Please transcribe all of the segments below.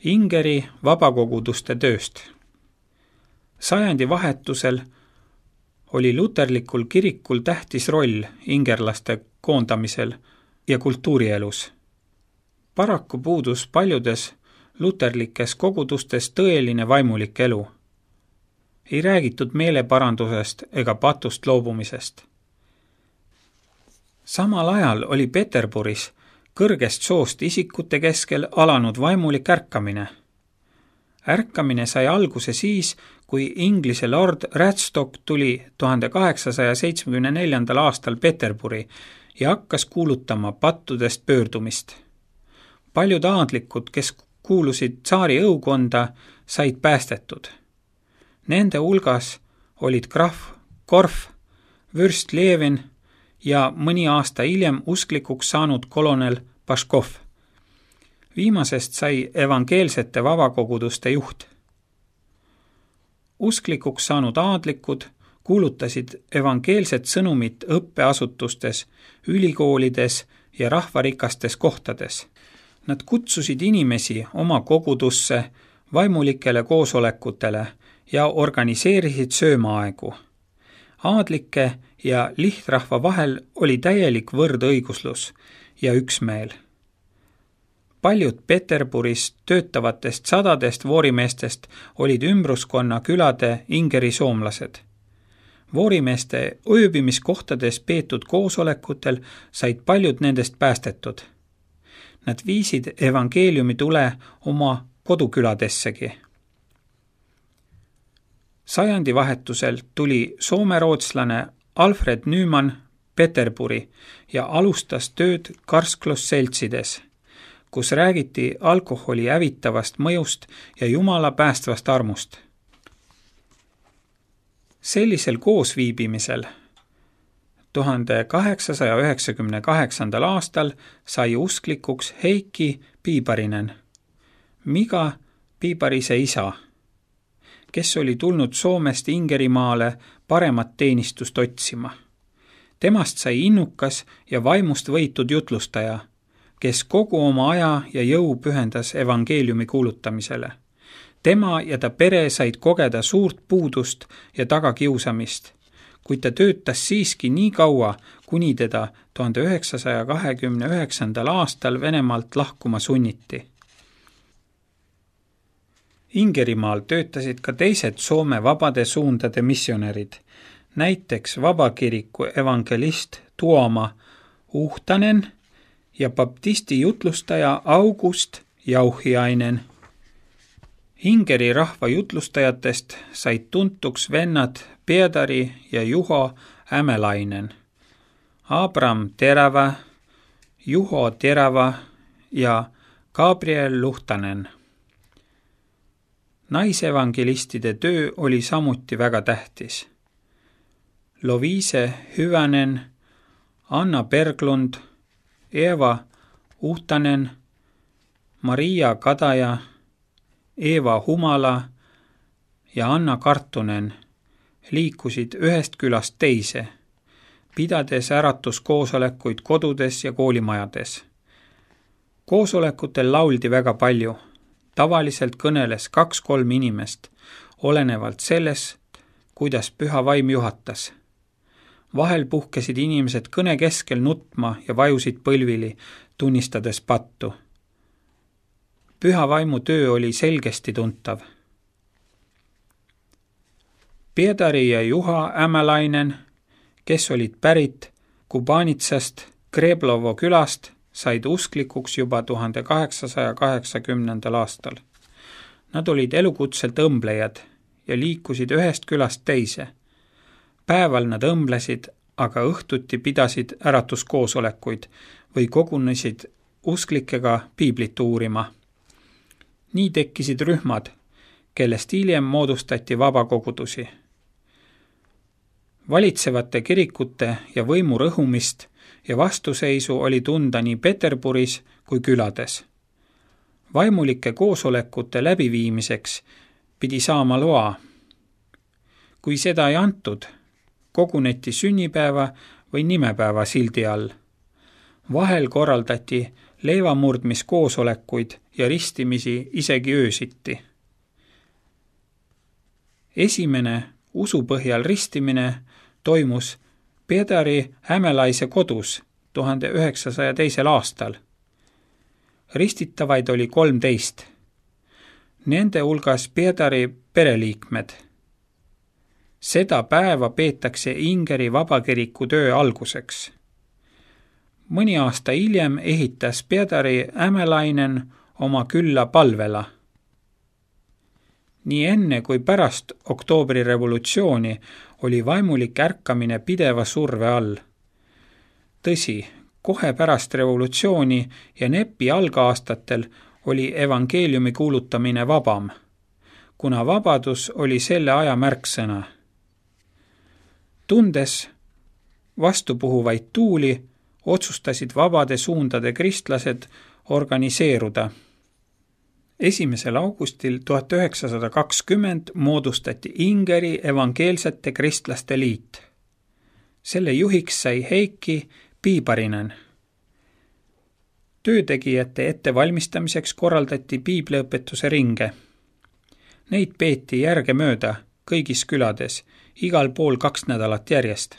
Ingeri vabakoguduste tööst. Sajandi vahetusel oli luterlikul kirikul tähtis roll ingerlaste koondamisel ja kultuurielus. Paraku puudus paljudes luterlikes kogudustes tõeline vaimulik elu. Ei räägitud meeleparandusest ega patust loobumisest. Samal ajal oli Peterburis kõrgest soost isikute keskel alanud vaimulik ärkamine. Ärkamine sai alguse siis, kui Inglise lord Radstock tuli 1874. aastal Peterburi ja hakkas kuulutama pattudest pöördumist. Paljud aadlikud, kes kuulusid tsaari õukonda, said päästetud. Nende hulgas olid krahv Korf, vürst Levin ja mõni aasta hiljem usklikuks saanud kolonel Paškov. Viimasest sai evangeelsete vabakoguduste juht. Usklikuks saanud aadlikud kuulutasid evangeelset sõnumit õppeasutustes, ülikoolides ja rahvarikastes kohtades. Nad kutsusid inimesi oma kogudusse, vaimulikele koosolekutele ja organiseerisid söömaaegu. Aadlike ja lihtrahva vahel oli täielik võrdõiguslus ja üksmeel. Paljud Peterburis töötavatest sadadest voorimeestest olid ümbruskonna külade Ingeri soomlased. Voorimeeste ööbimiskohtades peetud koosolekutel said paljud nendest päästetud. Nad viisid evangeeliumi tule oma koduküladessegi. Sajandi vahetusel tuli soomerootslane Alfred Nyman Peterburi ja alustas tööd karsklusseltsides, kus räägiti alkoholi hävitavast mõjust ja Jumala päästvast armust. Sellisel koosviibimisel 1898. aastal sai usklikuks Heikki Piiparinen, Miga Piiparise isa, kes oli tulnud Soomest Ingerimaale paremat teenistust otsima. Temast sai innukas ja vaimust võitud jutlustaja, kes kogu oma aja ja jõu pühendas evangeeliumi kuulutamisele. Tema ja ta pere said kogeda suurt puudust ja tagakiusamist, kuid ta töötas siiski nii kaua, kuni teda 1929. aastal Venemaalt lahkuma sunniti. Ingerimaal töötasid ka teised Soome vabade suundade missionärid, näiteks vabakiriku evangelist Tuoma Uhtanen ja baptisti jutlustaja August Jauhiainen. Ingeri rahva jutlustajatest said tuntuks vennad Piedari ja Juho Ämelainen, Abram Terava, Juho Terava ja Gabriel Luhtanen. Naisevangelistide töö oli samuti väga tähtis. Loviise Hyvänen, Anna Berglund, Eva Uhtanen, Maria Kadaja, Eeva Humala ja Anna Kartunen liikusid ühest külast teise, pidades äratuskoosolekuid kodudes ja koolimajades. Koosolekutel lauldi väga palju. Tavaliselt kõneles 2-3 inimest, olenevalt sellest, kuidas püha vaim juhatas. Vahel puhkesid inimesed kõne keskel nutma ja vajusid põlvili, tunnistades pattu. Püha vaimu töö oli selgesti tuntav. Piedari ja Juha Ämelainen, kes olid pärit Kubanitsast Kreblovo külast, said usklikuks juba 1880. aastal. Nad olid elukutselt õmblejad ja liikusid ühest külast teise. Päeval nad õmblesid, aga õhtuti pidasid äratuskoosolekuid või kogunesid usklikega piiblit uurima. Nii tekkisid rühmad, kellest hiljem moodustati vabakogudusi. Valitsevate kirikute ja võimu rõhumist ja vastuseisu oli tunda nii Peterburis kui külades. Vaimulike koosolekute läbiviimiseks pidi saama loa. Kui seda ei antud, koguneti sünnipäeva või nimepäeva sildi all. Vahel korraldati leevamurdmiskoosolekuid ja ristimisi isegi öösiti. Esimene usupõhjal ristimine toimus Pedari Hämelaise kodus 1902. aastal. Ristitavaid oli 13. Nende hulgas Pedari pereliikmed. Seda päeva peetakse Ingeri vabakiriku töö alguseks. Mõni aasta hiljem ehitas Pedari Hämelainen oma külla Palvela. Nii enne kui pärast oktoobrirevolutsiooni oli vaimulik ärkamine pideva surve all. Tõsi, kohe pärast revolutsiooni ja NEP-i algaastatel oli evangeeliumi kuulutamine vabam, kuna vabadus oli selle aja märksõna. Tundes vastupuhuvaid tuuli, otsustasid vabade suundade kristlased organiseeruda. 1. augustil 1920 moodustati Ingeri evangeelsete kristlaste liit. Selle juhiks sai Heikki Piiparinen. Töötegijate ettevalmistamiseks korraldati piibliõpetuse ringe. Neid peeti järgemööda kõigis külades, igal pool 2 nädalat järjest.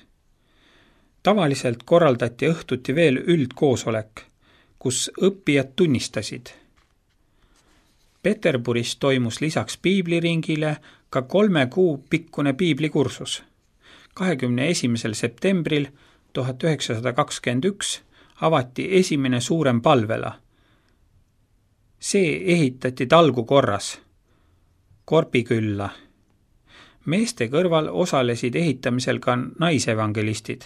Tavaliselt korraldati õhtuti veel üldkoosolek, kus õppijad tunnistasid. Peterburis toimus lisaks piibliringile ka 3 kuu pikkune piiblikursus. 21. septembril 1921 avati esimene suurem Palvela. See ehitati talgu korras, Korpikülla. Meeste kõrval osalesid ehitamisel ka naisevangelistid.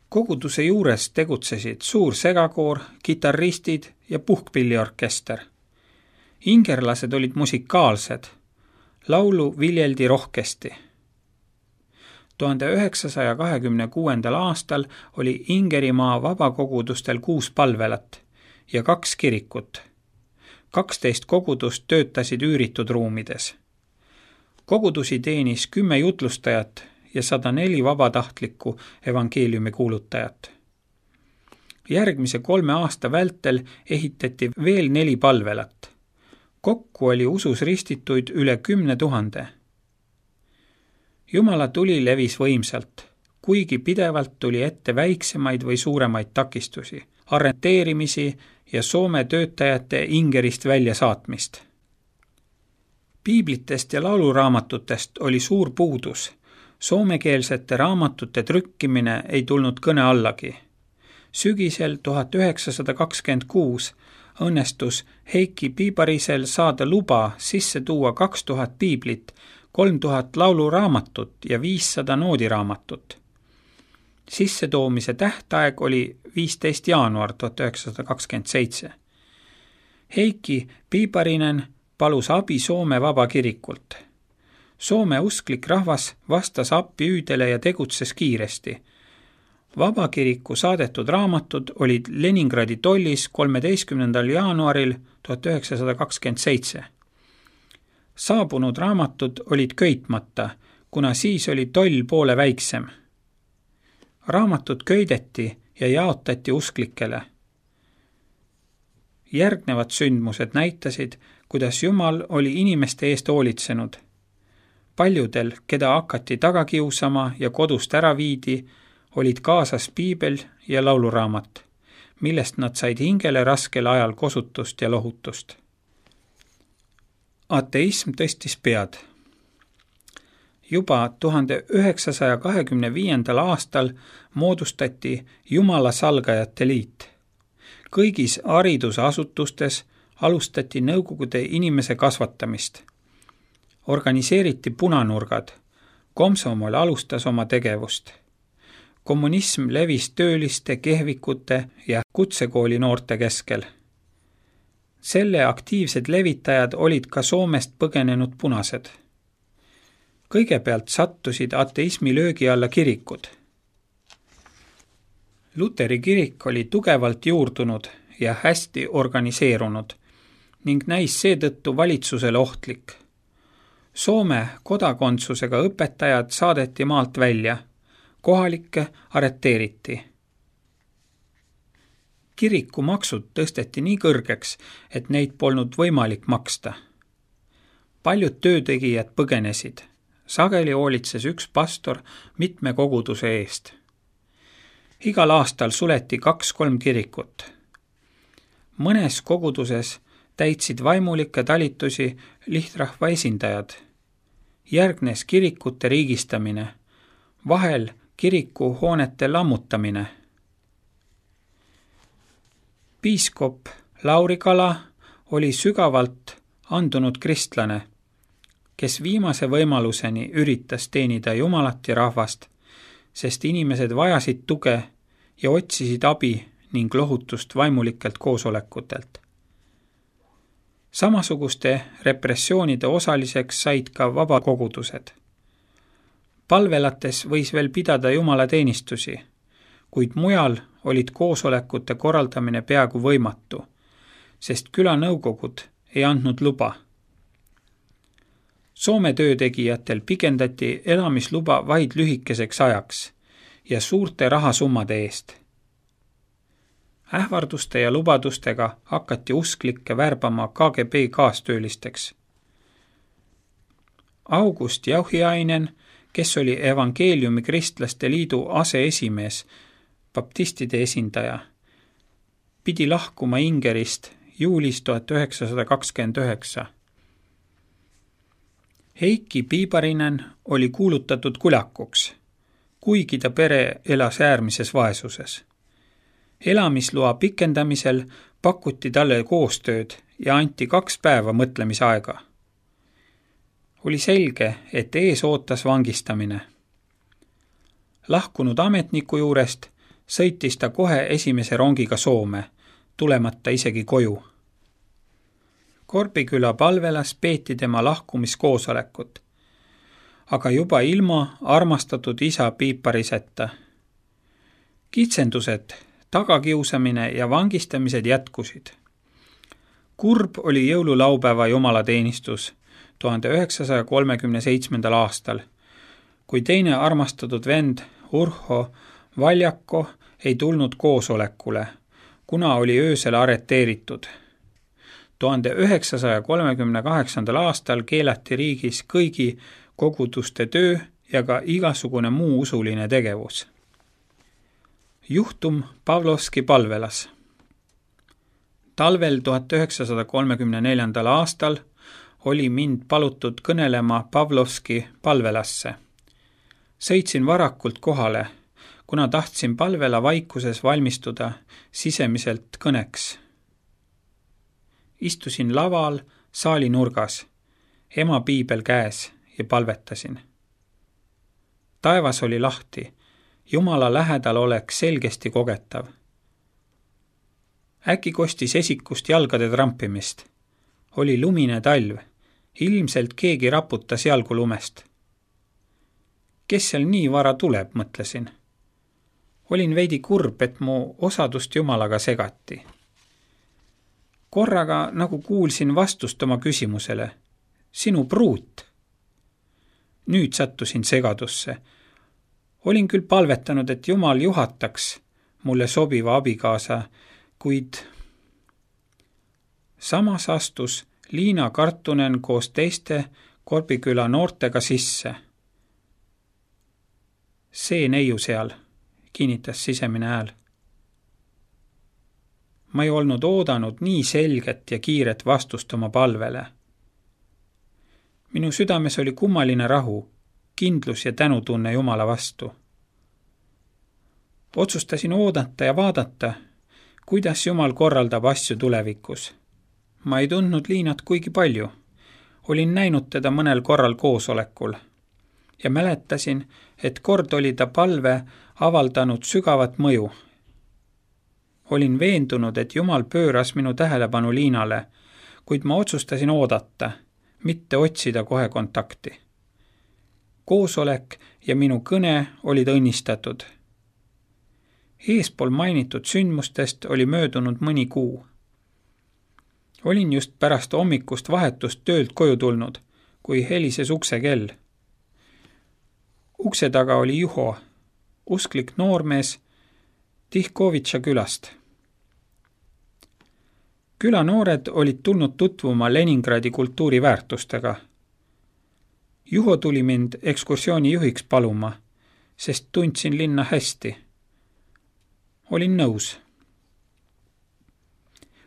Koguduse juures tegutsesid suur segakoor, kitarristid ja puhkpilliorkester. Ingerlased olid musikaalsed, laulu viljeldi rohkesti. 1926. aastal oli Ingerimaa vabakogudustel 6 palvelat ja 2 kirikut. 12 kogudust töötasid üüritud ruumides. Kogudusi teenis 10 jutlustajat ja 104 vabatahtlikku evangeeliumi kuulutajat. Järgmise 3 aasta vältel ehitati veel 4 palvelat. Kokku oli usus ristituid üle 10 000. Jumala tuli levis võimsalt, kuigi pidevalt tuli ette väiksemaid või suuremaid takistusi, arreteerimisi ja Soome töötajate Ingerist välja saatmist. Piiblitest ja lauluraamatutest oli suur puudus. Soomekeelsete raamatute trükkimine ei tulnud kõne allagi. Sügisel 1926 õnnestus Heikki Piiparisel saada luba sisse tuua 2000 piiblit, 3000 lauluraamatut ja 500 noodiraamatut. Sissetoomise tähtaeg oli 15. jaanuar 1927. Heikki Piiparinen palus abi Soome vabakirikult. Soome usklik rahvas vastas appihüüdele ja tegutses kiiresti. Vabakiriku saadetud raamatud olid Leningradi tollis 13. jaanuaril 1927. Saabunud raamatud olid köitmata, kuna siis oli toll poole väiksem. Raamatud köideti ja jaotati usklikele. Järgnevad sündmused näitasid, kuidas Jumal oli inimeste eest hoolitsenud. Paljudel, keda hakati taga kiusama ja kodust ära viidi, olid kaasas piibel ja lauluraamat, millest nad said hingele raskel ajal kosutust ja lohutust. Ateism tõstis pead. Juba 1925. aastal moodustati Jumala salgajate liit. Kõigis haridusasutustes alustati nõukogude inimese kasvatamist. Organiseeriti punanurgad. Komsomol alustas oma tegevust. Kommunism levis tööliste, kehvikute ja kutsekooli noorte keskel. Selle aktiivsed levitajad olid ka Soomest põgenenud punased. Kõigepealt sattusid ateismi löögi alla kirikud. Luteri kirik oli tugevalt juurdunud ja hästi organiseerunud ning näis seetõttu valitsusele ohtlik. Soome kodakondsusega õpetajad saadeti maalt välja, kohalikke arreteeriti. Kirikumaksud tõsteti nii kõrgeks, et neid polnud võimalik maksta. Paljud töötegijad põgenesid. Sageli hoolitses üks pastor mitme koguduse eest. Igal aastal suleti 2-3 kirikut. Mõnes koguduses täitsid vaimulikke talitusi lihtrahva esindajad. Järgnes kirikute riigistamine, vahel kirikuhoonete lammutamine. Piiskop Lauri Kala oli sügavalt andunud kristlane, kes viimase võimaluseni üritas teenida Jumalat ja rahvast, sest inimesed vajasid tuge ja otsisid abi ning lohutust vaimulikelt koosolekutelt. Samasuguste repressioonide osaliseks said ka vabakogudused. Palvelates võis veel pidada jumalateenistusi, kuid mujal olid koosolekute korraldamine peaaegu võimatu, sest külanõukogud ei andnud luba. Soome töötegijatel pikendati elamisluba vaid lühikeseks ajaks ja suurte rahasummade eest. Ähvarduste ja lubadustega hakati usklikke värbama KGB kaastöölisteks. August Jauhiainen, kes oli Evangeeliumi Kristlaste Liidu aseesimees, baptistide esindaja, pidi lahkuma Ingerist juulis 1929. Heiki Piiparinen oli kuulutatud kulakuks, kuigi ta pere elas äärmises vaesuses. Elamisloa pikendamisel pakuti talle koostööd ja anti 2 päeva mõtlemisaega. Oli selge, et ees ootas vangistamine. Lahkunud ametniku juurest sõitis ta kohe esimese rongiga Soome, tulemata isegi koju. Korpiküla palvelas peeti tema lahkumiskoosolekut, aga juba ilma armastatud isa Piipariseta. Kitsendused, tagakiusamine ja vangistamised jätkusid. Kurb oli jõululaupäeva jumalateenistus 1937. aastal, kui teine armastatud vend Urho Valjako ei tulnud koosolekule, kuna oli öösel arreteeritud. 1938. aastal keelati riigis kõigi koguduste töö ja ka igasugune muu usuline tegevus. Juhtum Pavlovski palvelas. Talvel 1934. aastal oli mind palutud kõnelema Pavlovski palvelasse. Sõitsin varakult kohale, kuna tahtsin palvela vaikuses valmistuda sisemiselt kõneks. Istusin laval saali nurgas, ema piibel käes ja palvetasin. Taevas oli lahti, Jumala lähedal oleks selgesti kogetav. Äkki kostis esikust jalgade trampimist. Oli lumine talv, ilmselt keegi raputas jalgu lumest. Kes seal nii vara tuleb, mõtlesin. Olin veidi kurb, et mu osadust Jumalaga segati. Korraga nagu kuulsin vastust oma küsimusele. Sinu pruut. Nüüd sattusin segadusse. Olin küll palvetanud, et Jumal juhataks mulle sobiva abikaasa, kuid samas astus Liina Kartunen koos teiste Korpiküla noortega sisse. See neiu seal, kinnitas sisemine hääl. Ma ei olnud oodanud nii selget ja kiiret vastust oma palvele. Minu südames oli kummaline rahu, kindlus ja tänutunne Jumala vastu. Otsustasin oodata ja vaadata, kuidas Jumal korraldab asju tulevikus. Ma ei tundnud Liinat kuigi palju. Olin näinud teda mõnel korral koosolekul ja mäletasin, et kord oli ta palve avaldanud sügavat mõju. Olin veendunud, et Jumal pööras minu tähelepanu Liinale, kuid ma otsustasin oodata, mitte otsida kohe kontakti. Koosolek ja minu kõne olid õnnistatud. Eespool mainitud sündmustest oli möödunud mõni kuu. Olin just pärast hommikust vahetust töölt koju tulnud, kui helises uksekell. Ukse taga oli Juho, usklik noormees Tihkovitša külast. Külanoored olid tulnud tutvuma Leningradi kultuuriväärtustega. Juho tuli mind ekskursiooni juhiks paluma, sest tundsin linna hästi. Olin nõus.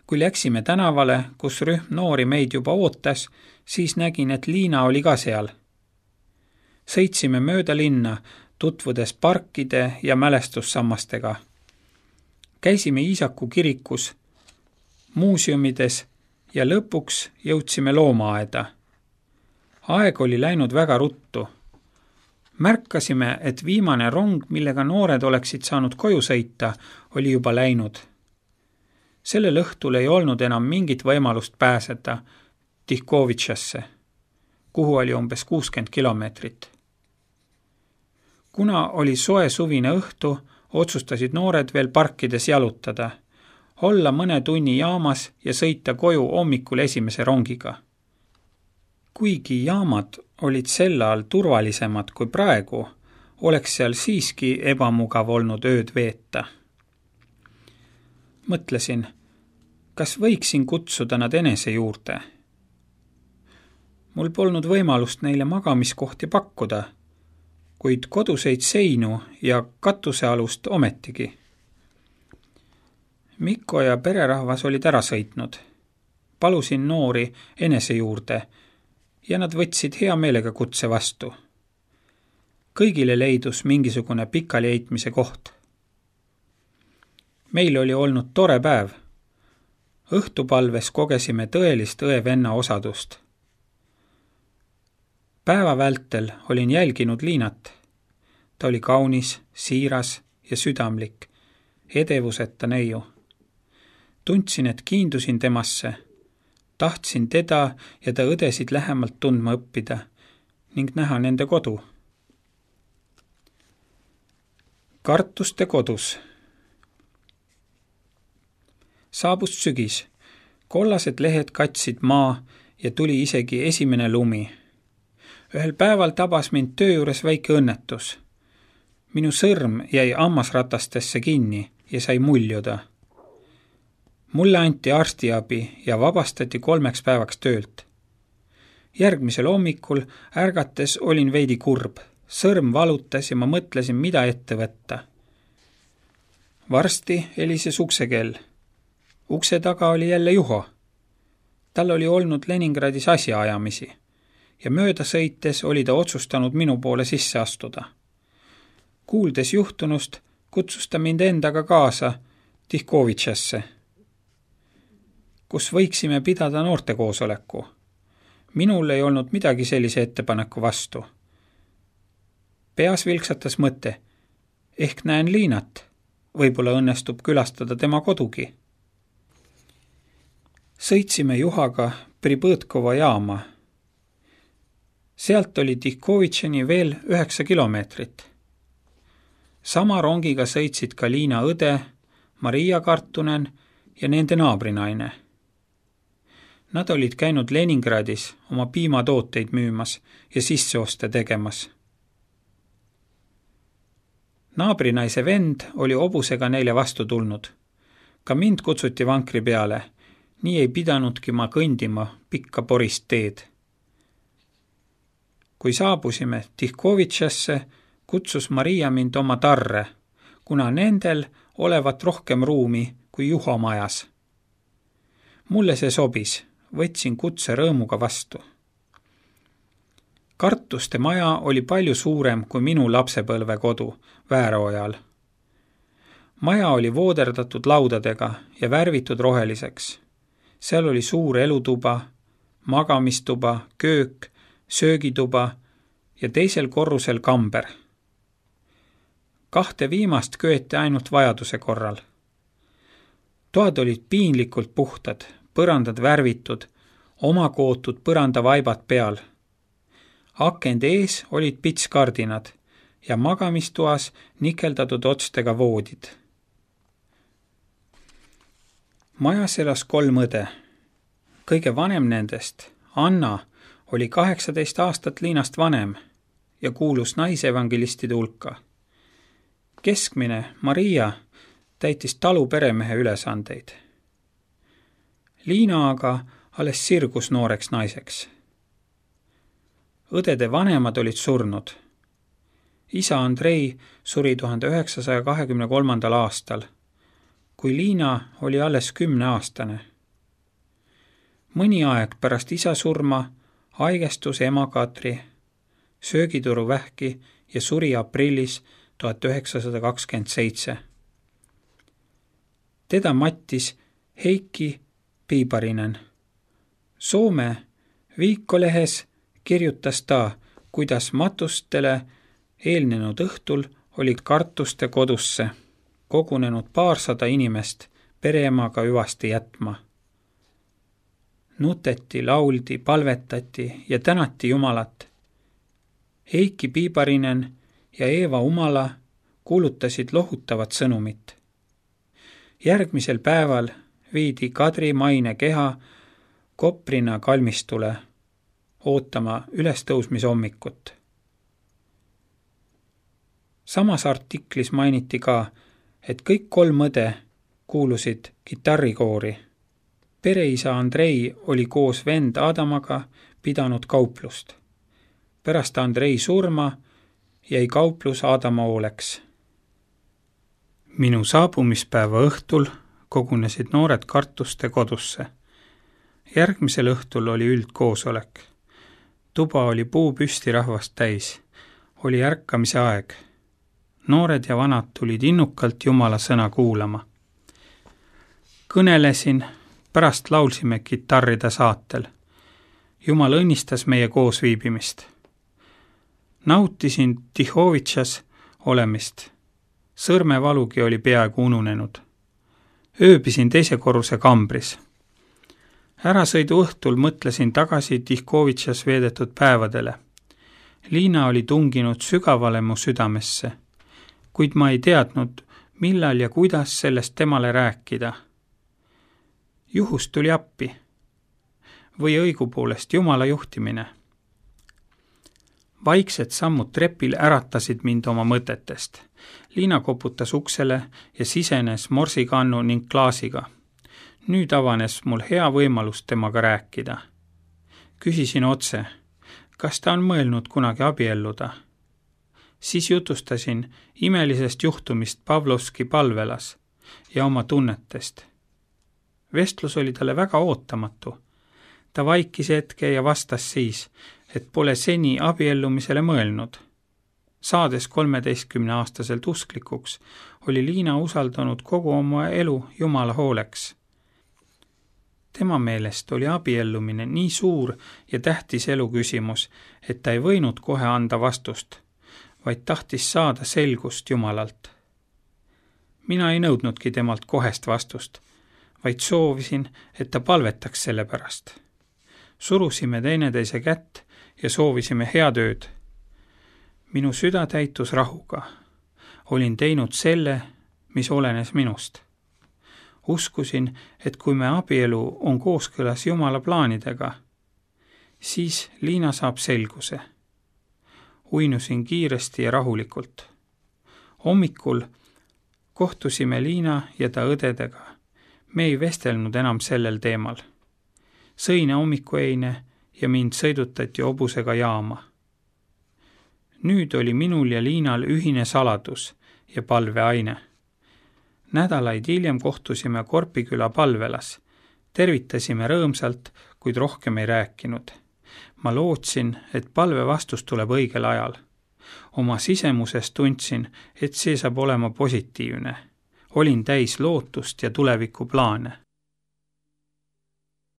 Kui läksime tänavale, kus rühm noori meid juba ootas, siis nägin, et Liina oli ka seal. Sõitsime mööda linna, tutvudes parkide ja mälestussammastega. Käisime Iisaku kirikus, muuseumides ja lõpuks jõudsime loomaaeda. Aeg oli läinud väga ruttu. Märkasime, et viimane rong, millega noored oleksid saanud koju sõita, oli juba läinud. Sellel õhtul ei olnud enam mingit võimalust pääseda Tihkovitšasse, kuhu oli umbes 60 kilomeetrit. Kuna oli soe suvine õhtu, otsustasid noored veel parkides jalutada, olla mõne tunni jaamas ja sõita koju hommikul esimese rongiga. Kuigi jaamad olid sel ajal turvalisemad kui praegu, oleks seal siiski ebamugav olnud ööd veeta. Mõtlesin, kas võiksin kutsuda nad enese juurde? Mul polnud võimalust neile magamiskohti pakkuda, kuid koduseid seinu ja katusealust ometigi. Mikko ja pererahvas olid ära sõitnud. Palusin noori enese juurde ja nad võtsid hea meelega kutse vastu. Kõigile leidus mingisugune pikali heitmise koht. Meil oli olnud tore päev. Õhtupalves kogesime tõelist õe-venna osadust. Päeva vältel olin jälginud Liinat. Ta oli kaunis, siiras ja südamlik, edevuseta neiu. Tundsin, et kiindusin temasse. Tahtsin teda ja ta õdesid lähemalt tundma õppida ning näha nende kodu. Kartuste kodus. Saabus sügis. Kollased lehed katsid maa ja tuli isegi esimene lumi. Ühel päeval tabas mind töö juures väike õnnetus. Minu sõrm jäi hammasratastesse kinni ja sai muljuda. Mulle anti arstiabi ja vabastati 3 päevaks töölt. Järgmisel hommikul ärgates olin veidi kurb. Sõrm valutas ja ma mõtlesin, mida ette võtta. Varsti helises uksekell. Ukse taga oli jälle Juho. Tal oli olnud Leningradis asjaajamisi ja mööda sõites oli ta otsustanud minu poole sisse astuda. Kuuldes juhtunust, kutsus ta mind endaga kaasa Tihkovitšasse, kus võiksime pidada noortekoosoleku. Minul ei olnud midagi sellise ettepaneku vastu. Peas vilksatas mõte, ehk näen Liinat, võib-olla õnnestub külastada tema kodugi. Sõitsime Juhaga Pribõtkova jaama. Sealt oli Tihkovitšani veel 9 kilomeetrit. Sama rongiga sõitsid ka Liina õde, Maria Kartunen ja nende naabrinaine. Nad olid käinud Leningradis oma piimatooteid müümas ja sisseoste tegemas. Naabrinaise vend oli hobusega neile vastu tulnud. Ka mind kutsuti vankri peale, nii ei pidanudki ma kõndima pikka porist teed. Kui saabusime Tihkovitšasse, kutsus Maria mind oma tarre, kuna nendel olevat rohkem ruumi kui Juho majas. Mulle see sobis, võtsin kutse rõõmuga vastu. Kartuste maja oli palju suurem kui minu lapsepõlve kodu Vääroojal. Maja oli vooderdatud laudadega ja värvitud roheliseks. Seal oli suur elutuba, magamistuba, köök, söögituba ja teisel korrusel kamber. 2 viimast köeti ainult vajaduse korral. Toad olid piinlikult puhtad, põrandad värvitud, omakootud põrandavaibad peal. Akende ees olid pitskardinad ja magamistoas nikeldatud otstega voodid. Majas elas 3 õde. Kõige vanem nendest, Anna, oli 18 aastat Liinast vanem ja kuulus naisevangelistide hulka. Keskmine, Maria, täitis talu peremehe ülesandeid. Liina aga alles sirgus nooreks naiseks. Õdede vanemad olid surnud. Isa Andrei suri 1923. aastal, kui Liina oli alles 10-aastane. Mõni aeg pärast isa surma haigestus ema Katri, söögituruvähki ja suri aprillis 1927. Teda mattis Heikki Piiparinen. Soome Viikkolehes kirjutas ta, kuidas matustele eelnenud õhtul oli Kartuste kodusse kogunenud 200 inimest pereemaga hüvasti jätma. Nuteti, lauldi, palvetati ja tänati Jumalat. Heikki Piiparinen ja Eeva Umala kuulutasid lohutavat sõnumit. Järgmisel päeval viidi Kadri maine keha Koprina kalmistule ootama ülestõusmishommikut. Samas artiklis mainiti ka, et kõik 3 õde kuulusid kitarrikoori. Pereisa Andrei oli koos vend Adamaga pidanud kauplust. Pärast Andrei surma jäi kauplus Adama hooleks. Minu saabumispäeva õhtul kogunesid noored Kartuste kodusse. Järgmisel õhtul oli üldkoosolek. Tuba oli puupüsti rahvast täis. Oli ärkamise aeg. Noored ja vanad tulid innukalt Jumala sõna kuulama. Kõnelesin, pärast laulsime kitarride saatel. Jumal õnnistas meie koosviibimist. Nautisin Tihovitšas olemist. Sõrmevalugi oli peaaegu ununenud. Ööbisin 2. korruse kambris. Ärasõidu õhtul mõtlesin tagasi Tihkovitšas veedetud päevadele. Liina oli tunginud sügavale mu südamesse, kuid ma ei teadnud, millal ja kuidas sellest temale rääkida. Juhus tuli appi või õigupoolest Jumala juhtimine. Vaiksed sammud trepil äratasid mind oma mõtetest. Liina koputas uksele ja sisenes morsikannu ning klaasiga. Nüüd avanes mul hea võimalus temaga rääkida. Küsisin otse, kas ta on mõelnud kunagi abielluda. Siis jutustasin imelisest juhtumist Pavlovski palvelas ja oma tunnetest. Vestlus oli talle väga ootamatu. Ta vaikis hetke ja vastas siis, et pole seni abiellumisele mõelnud. Saades 13-aastaselt usklikuks, oli Liina usaldanud kogu oma elu Jumala hooleks. Tema meelest oli abiellumine nii suur ja tähtis eluküsimus, et ta ei võinud kohe anda vastust, vaid tahtis saada selgust Jumalalt. Mina ei nõudnudki temalt kohest vastust, vaid soovisin, et ta palvetaks selle pärast. Surusime teineteise kätt ja soovisime head ööd. Minu süda täitus rahuga. Olin teinud selle, mis olenes minust. Uskusin, et kui me abielu on kooskõlas Jumala plaanidega, siis Liina saab selguse. Uinusin kiiresti ja rahulikult. Hommikul kohtusime Liina ja ta õdedega. Me ei vestelnud enam sellel teemal. Sõine hommikueine ja mind sõidutati hobusega jaama. Nüüd oli minul ja Liinal ühine saladus ja palveaine. Nädalaid hiljem kohtusime Korpiküla palvelas. Tervitasime rõõmsalt, kuid rohkem ei rääkinud. Ma lootsin, et palve vastus tuleb õigel ajal. Oma sisemuses tundsin, et see saab olema positiivne. Olin täis lootust ja tulevikuplaane.